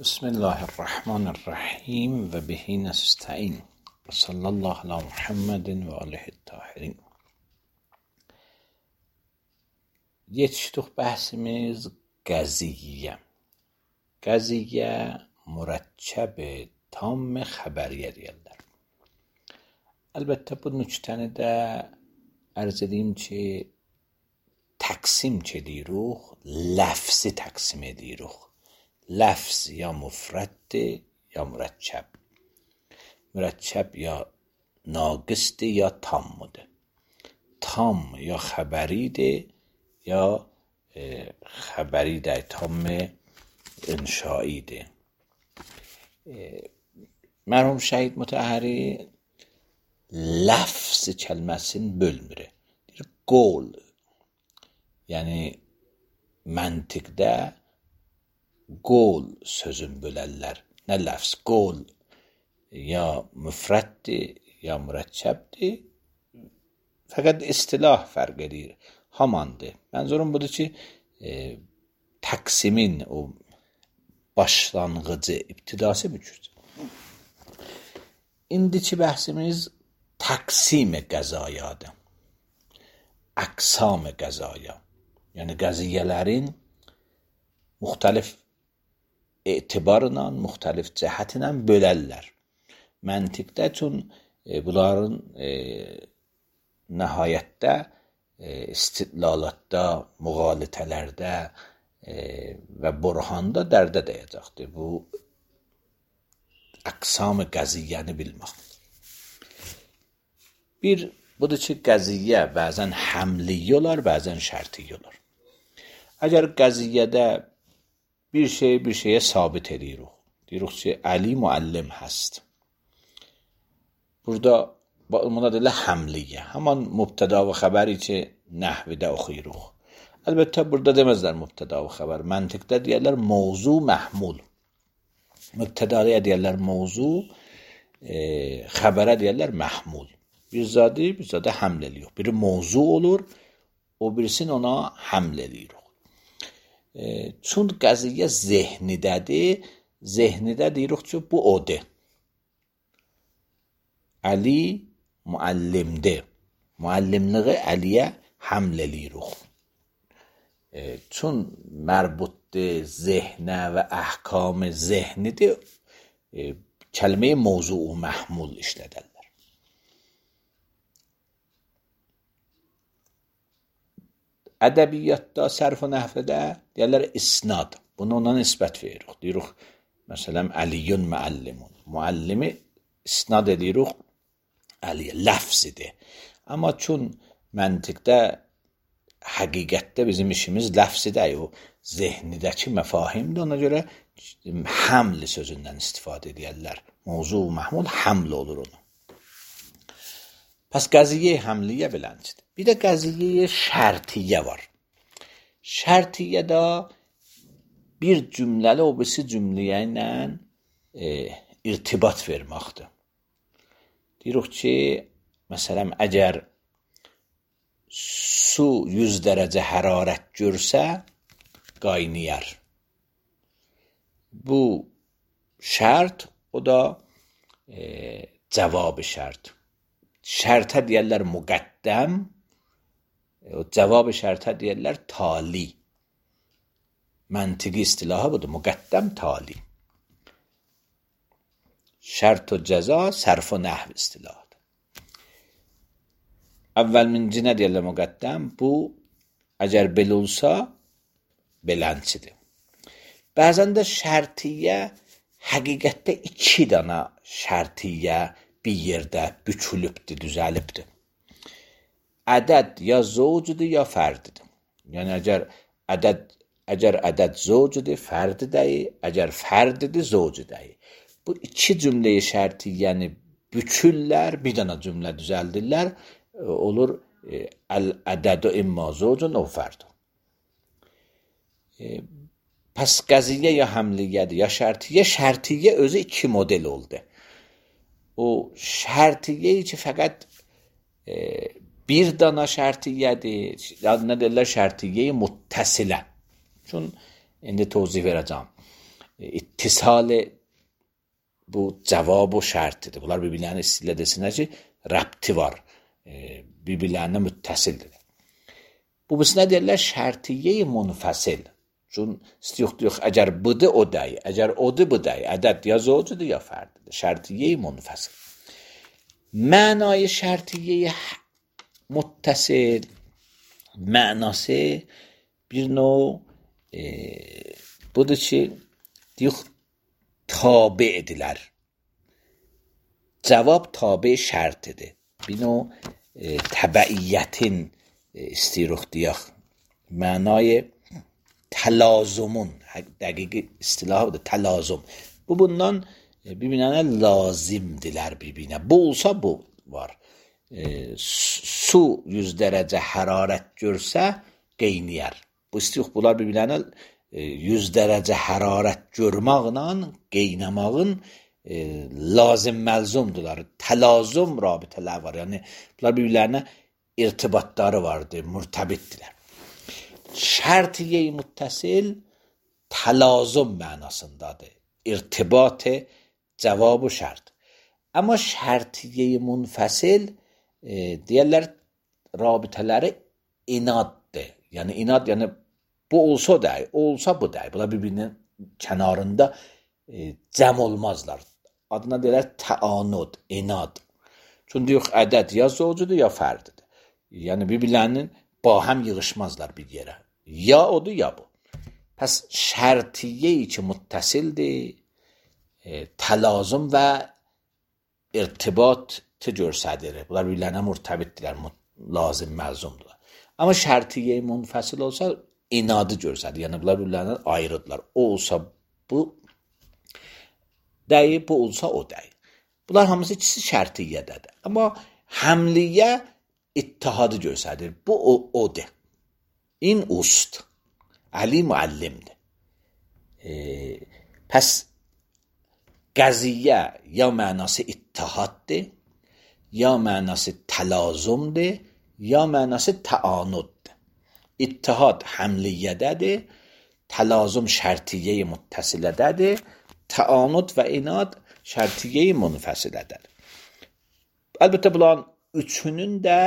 بسم الله الرحمن الرحیم و به نستعین و صلی الله علی محمد و آله الطاهرین. Yetişdik bəhsimiz qəziyyə. Qəziyyə mürəkkəb tam xəbəriyyə deyirlər. Əlbəttə bu nüktəni də ərz edeyim ki, təqsim edirik, ləfzi təqsim edirik. Lafz ya mufraddir ya mürəkkəb. Mürəkkəb ya naqisdir ya tamdır. Tam ya xəbəridir ya xəbəridir, tam inşaidir. Mərhum Şəhid Mutəhhəri lafz kəlməsini bölmür. Deyir qol. Yəni məntiqdə qol sözün bölərlər. Nə ləfz? Qol ya müfrəddir ya mürəkkəbdir. Fəqət istilah fərq edir. Hamandır. Mənzurum budur ki, təqsimin o başlanğıcı, ibtidası bu cürdür. İndiki bəhsimiz təqsim-i qəzayadır. Əqsam-ı qəzaya. Yəni qəziyyələrin müxtəlif etibarla, müxtəlif cəhətlə bölərlər. Məntiqdə üçün bunların nəhayətdə istidlalatda, müğalitələrdə və burhanda dərdə dəyəcəkdir. Bu əqsam-ı qəziyyəni bilmək. Bir, budur ki, qəziyyə bəzən həmliyyə olar, bəzən şərtiyyə olar. Əgər qəziyyədə bir şeyə sabit edirik. Deyirik ki, Əli müəllim həst. Burada buna deyirlər həmliyyə. Həman mübtəda və xəbəri ki, nəhvidə oxuyuruq. Əlbəttə, burada deməzlər mübtəda və xəbər. Məntiqdə deyərlər mövzu məhmul. Mübtədaya deyərlər mövzu, xəbərə deyərlər məhmul. Bir zadı həml edirik. Biri mövzu olur, o birisini ona həml edirik. Çün qəziyyə zehnidədir, zehnidə deyirik ki, bu odur. Əli müəllimdir. Müəllimliği Əliyə həml edirik. Çün mərbutdir, zehnə və əhkam-ı zehnidir, kəlmə-i mövzu-u məhmul işlədərlər. Ədəbiyyatda, sərf və nəhvədə deyərlər isnad. Bunu ona nisbət veririk. Deyirik, məsələn, Əliyyün müəllimun. Müəllimi isnad edirik Əliyə, ləfzidir. Amma çün məntiqdə, həqiqətdə bizim işimiz ləfzidir, o zehnidəki məfahimdir. Ona görə həmli sözündən istifadə edirlər. Mövzu məhmul həml olur onu. Pəs qəziyyə həmliyyə bilənçidir. Bir də qəziyyə şərtiyyə var. Şərtiyyədə bir cümləli o birisi cümləyə ilə irtibat verməkdir. Deyirik ki, məsələn, əgər su 100 dərəcə hərarət görsə, qaynayar. Bu şərt, o da cavab şərt. Şərtə deyərlər müqəddəm, cavab şərtə deyərlər tali. Məntiqi istilahı budur, müqəddəm tali. Şərt və cəza, sərf və nəhv istilahıdır. Əvvəlminci nə deyərlər müqəddəm? Bu, əgər belə olsa, belənçidir. Bəzən də şərtiyyə, həqiqətdə 2 dana şərtiyyə bir yerdə bükülübdür, düzəlibdir. Ədəd ya zovcudur, ya fərdidir. Yəni, əgər ədəd zovcudur, fərdidir, əgər fərdidir, zovcudur. Bu 2 cümləyi şərtiyyəni bükürlər, bir dana cümlə düzəldirlər, olur əl-ədədu imma zovcun o fərdun. Pəs qəziyyə ya həmliyyədir, ya şərtiyyə. Şərtiyyə özü 2 model oldu. O şərtiyyə ki, fəqət bir dana şərtiyyədir, nə deyirlər şərtiyyə-i muttəsilə. Çün indi tozih verəcəm. ittisal bu cavab və şərtidir. Bunlar bir-birlərinə istilə desinlər ki, rəbti var. Bir-birlərinə müttəsildir. Bu bisinə deyirlər şərtiyyə-i munfəsil. Çün istiyuq əgər budur o dəy, əgər odur bu dəy, ədəd ya zövcüdür ya fərdidir. Şərtiyyə-i munfəsil. Mənayı şərtiyyə-i muttəsil mənası bir növ budur ki, deyək tabi edilər. Cavab tabi şərtidir. Bir növ təbəiyyətin istiruq deyək. Mənayı təlazümun, dəqiqi istilahıdır, təlazüm. Bu bundan bir-birinə lazimdirlər bir-birinə. Bu olsa bu var. Su 100 dərəcə hərarət görsə qeyniyər. Bu istiruq bunlar bir-birinə 100 dərəcə hərarət görməklə qeynəmağın lazım məlzumdurlar. Təlazüm rabitələr var. Yəni bunlar bir-birlərinə irtibatları vardır, mürtəbitdirlər. Şərtiyyə-i muttəsil təlazüm mənasındadır. İrtibat cavab və şərt. Amma şərtiyyə-i munfəsil deyirlər rabitələri inaddır. Yəni inad, yəni bu olsa dəy, olsa bu dəy. Bunlar bir-birinin kənarında cəm olmazlar. Adına deyirlər təanud, inad. Çünki yox, ədəd ya zövcüdür ya fərdidir. Yəni bir-birlərinin bahəm yığışmazlar bir yerə. Ya odur ya bu. Pəs şərtiyyə-i ki muttəsildir, təlazüm və irtibatı görsədir. Bunlar bir-birlərinə mürtəbitdirlər, lazım məlzumdurlar. Amma şərtiyyə-i munfəsil olsa inadı görsədir. Yəni bunlar bir-birlərindən ayrıdırlar. O olsa bu dəyi, bu olsa o dəyi. Bunlar hamısı ikisi şərtiyyədədir. Amma həmliyyə ittihadı görsədir. Bu odur. İn ust. Əli müəllimdir. Pəs qəziyyə ya mənası ittihaddır, ya mənası təlazümdir, ya mənası təanuddur. İttihad həmliyyədədir, təlazüm şərtiyyə-i muttəsilədədir, təanud və inad şərtiyyə-i munfəsilədədir. Əlbəttə bunların üçünün də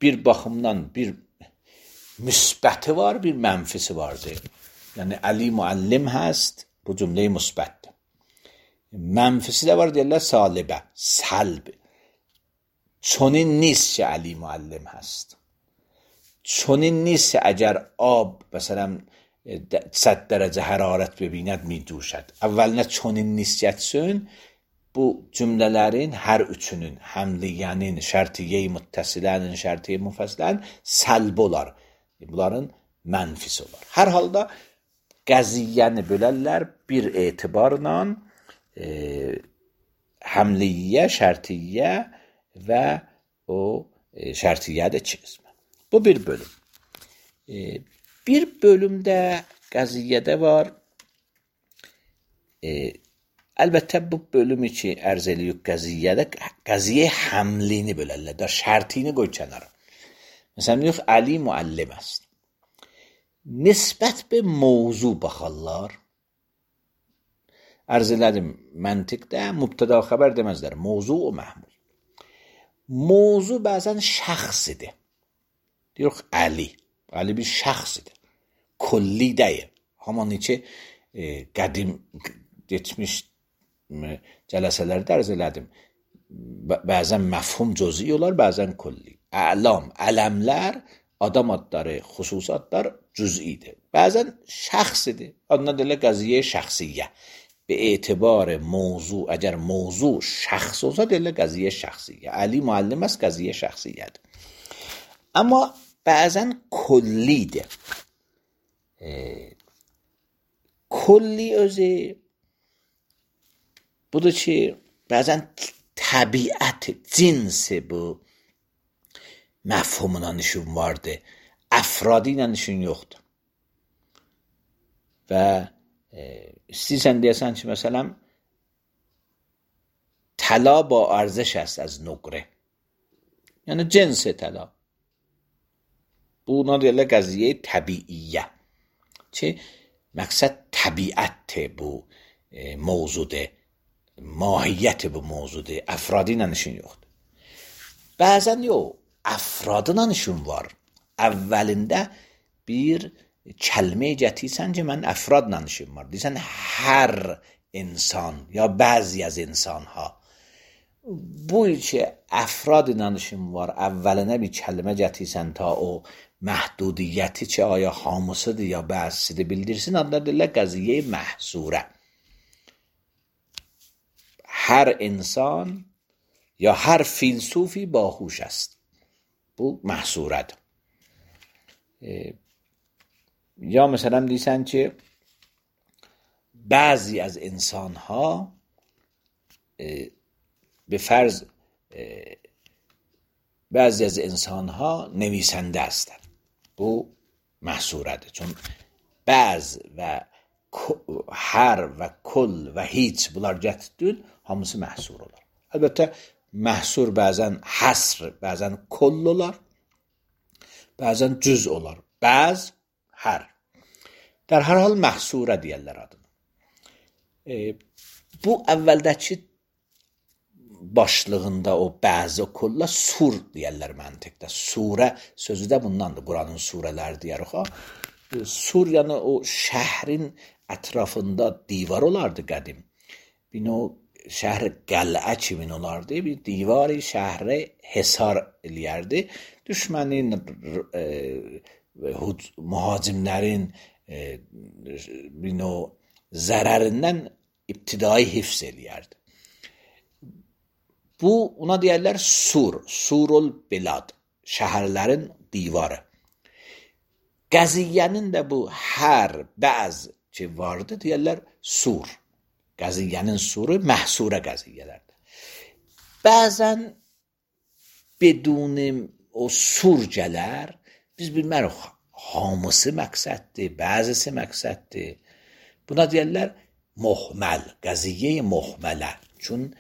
bir baxımdan bir müsbəti var, bir mənfisi vardır. Yəni Əli müəllim həst, bu cümlə-i müsbətdir. Mənfisi də var deyirlər salibə, səlb. Çonin نیست ki Əli müəllim həst. Çonin نیست əgər ab məsələn 100 dərəcə hərarət ببیند می‌جوشد. Əvvəlinə çonin نیست gətirsin. Bu cümlələrin hər üçünün, həmliyyənin, şərtiyyə-i muttəsilənin, şərtiyyə-i munfəsilənin səlb olar. Bunların mənfisi olar. Hər halda qəziyyəni bölərlər bir etibarla həmliyyə, şərtiyyə və o şərtiyyə də iki qismə. Bu bir bölüm. Bir bölümdə qəziyyədə var. Əlbəttə bu bölümü ki ərz eləyik qəziyyədə, qəziyyə həmlini bölərlər. Da şərtini qoy kənara. Məsələn, deyək, Əli müəllim است. Nisbət bir mövzu baxarlar. Ərz elədim, məntiqdə mübtəda xəbər deməzlər. Mövzu o məhmul. Mövzu bəzən şəxsidir. Deyək, Əli. Əli bir şəxsidir. Kulli deyil. Hamanı ki, qədim geçmiş cələsələrdə ərz elədim. Bəzən məfhum cüz'i olar, bəzən kulli. Əlam, ələmlər, adam adları, xüsusi adlar cüz'idir. Bəzən şəxsidir. Adına deyirlər qəziyyə şəxsiyyə. Be etibar mövzu, əgər mövzu şəxs olsa deyirlər qəziyyə şəxsiyyə. Əli müəllim است, qəziyyə şəxsiyyədir. Amma bəzən kullidir. Kulli özü budur ki, bəzən təbiəti, cinsi bu məfhumuna nişun vardır. Əfradi ilə nişun yoxdur. Və istəyirsən deyəsən ki, məsələn, təla ba ارزش است از نقره. Yəni cinsi təla. Buna deyirlər qəziyyə təbiiyyə. Ki, məqsəd təbiətdir bu mövzudur, mahiyyəti bu mövzudur, əfradı ilə işin yoxdur. Bəzən yox, əfradla işin var. Əvvəlində bir kəlmə gətirsən ki, mən əfradla işim var. Deyirsən, hər insan ya bəzi az insanha. Bu ki, əfrad ilə işin var, əvvəlinə bir kəlmə gətirsən ta o məhdudiyyəti ki, aya hamısıdır ya bəzisidir bildirsin, adlar deyirlər qəziyyə məhsurə. Hər insan ya hər filsufi باهوش است. Bu məhsurədir. یا مثلا دیسن که بعضی از انسان ها به فرض بعضی از انسان ها نویسنده هستند. Bu محصورده چون بعض و هر و کل و هیچ bunlar gətirdin hamısı محصور olar. Əlbəttə محصور bəzən həsr, bəzən kull olar, bəzən cüz olar. Bəz hər. در هر حال محصوره deyirlər adını. Bu əvvəldəki başlığında o bəzi kulla sur deyirlər məntiqdə. Surə sözü də bundandır. Quranın surələri deyirik ha. Sur yəni o şəhrin ətrafında divar olardı qədim. Bir o şəhər qəl'ə kimi olardı. Bir divari şəhri hesar eləyərdi. Düşmənin mühacimlərin zərərindən ibtidai hifz eləyərdi. Bu ona deyərlər sur, surul bilad, şəhərlərin divarı. Qəziyyənin də bu hər, bəz ki vardı deyərlər sur. Qəziyyənin suru məhsurə qəziyyələrdir. Bəzən bedun o sur gələr, biz bilmərik hamısı məqsəddir, bəzisi məqsəddir. Buna deyirlər muhməl, qəziyyə muhmələ. Çün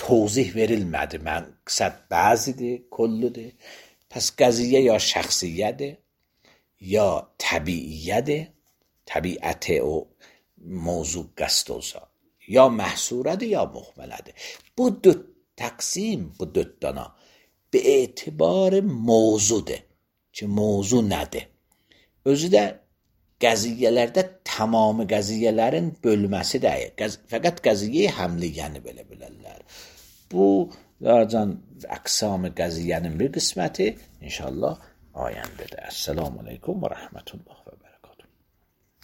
توضیح verilmədi. Məqsəd bəzidir, kulludur. Pəs qəziyyə ya şəxsiyyədir, ya təbiiyyədir, təbiəti o mövzu qəsd olsa, ya məhsurədir, ya muhmələdir. Bu dörd təqsim, bu dörd dana be etibar mövzudur ki, mövzu nədir? Özü də qəziyyələrdə tamamı qəziyyələrin bölməsi deyil. Fəqət qəziyyə həmliyyəni belə bilərlər. Bu larcan əqsam-ı qəziyyənin bir qisməti inşallah ayəndədir. Əssalamu aleykum və rəhmətullah və